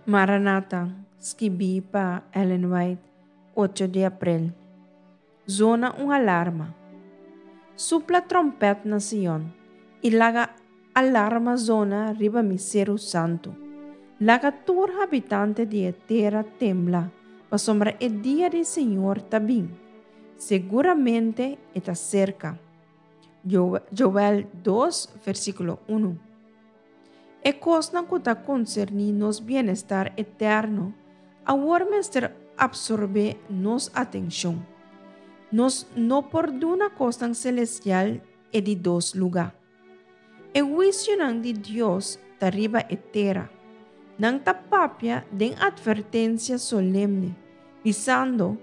Maranata, skibí pa Ellen White, ocho di aprel. Zona un alarma. Supla tròmpèt na Sion, i laga alarma zona riba mi seru santu. Laga tur habitante di e tera tembla, pasobra e dia di Señor ta bin. Seguramente e ta serka. Joel dos, versíkulo unu. E kosnan ku ta konserní nos bienestar eterno awor mester apsorbé nos atenshon. Nos no por duna kosnan selestial e di dos lugá. E huisionan di Dios ta riba e tera. Nan ta papia den atvertensia solemne, bisando,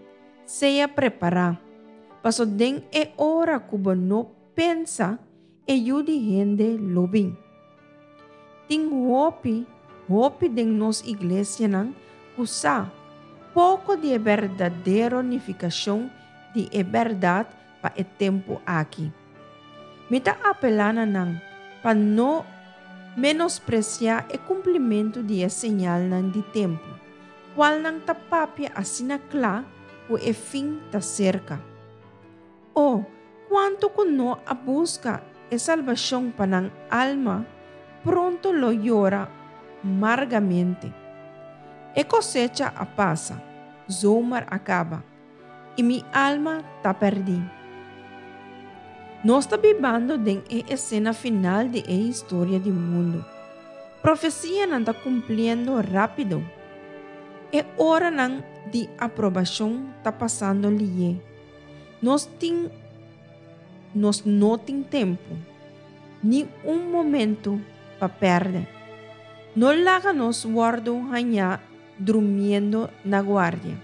Sea prepará, paso den e ora ku bo no pensa, e Yu di hende lo bin. Tin hopi, hopi den nos iglesianan ku sa poko di e berdadero nifikashon di e bèrdat pa e tempu aki. Mi ta apelá na nan pa no menospresiá e kumplimentu di e señalnan di tempu, kualnan ta papia asina kla ku e fin ta serka. O, kuantu ku no a buska e salbashon pa nan alma, pronto lo yora margamente. E kosecha a pasa, zomer a kaba, i mi alma ta pèrdí. Nos ta bibando den e esena final di e historia di mundu. Profesianan ta kumpliendo rápido. E oranan di aprobashon ta pasando lié. Nos tin Nos no tin tempu, ni un momentu pa pèrdè. No laga nos wòrdu hañá drumiendo na guardia.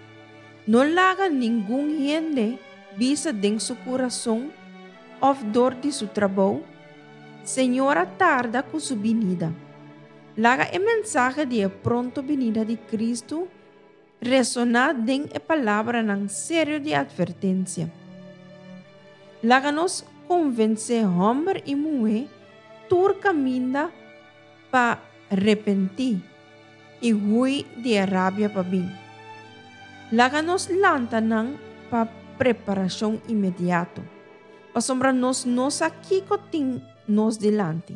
No laga ningun hende bisa den su kurason òf dor di su trabou, Señor a tarda ku su binida. Laga e mensahe di e pronto binida di Kristu Resoná den e palabranan serio di atvertensia. Laga nos konvensé hòmber i muhé tur kaminda pa repentí i hui di e rabia pa bin. Laga nos lanta nan pa preparashon inmediato, pasobra nos no sa kiko tin nos dilanti.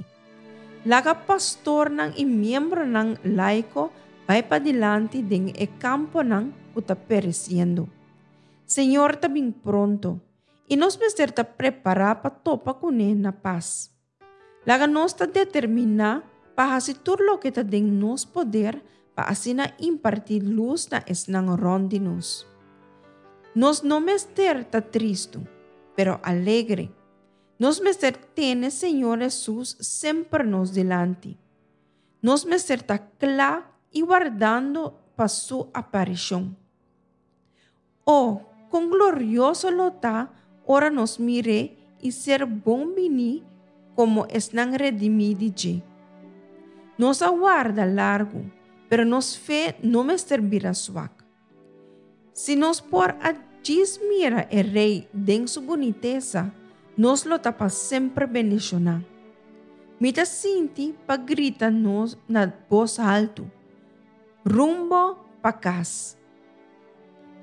Laga pastornan i miembronan laiko bai padilanti den e kamponan ku ta peresiendo. Señor ta bin pronto, i nos mester ta prepará pa topa kuné na pas. Laga nos ta determiná pa hasi tur loke ta den nos poder pa asina impartí lus na esnan rònt di nos. Nos no mester ta tristu, pero alegre. Nos mester tene Señor Hesus semper nos dilanti. Nos mester ta kla i wardando pa Su aparishon. O, kon glorioso lo ta ora nos mir'É i ser bon biní komo esnan redimí di dje! Nos a warda largu, pero nos fe no mester bira swak. Si nos por a djis mira e Rei den su bunitesa, nos lo ta pa semper bendishoná. Mi ta sinti pa grita nos na bos haltu, Rumbo pa kas!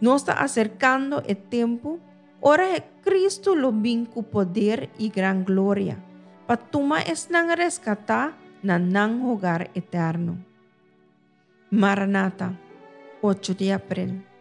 Nos ta aserkando e tempu ora Kristu lo bin ku poder i gran gloria pa tuma esnan reskatá na nan hogar eterno. Maranata, ocho di aprel.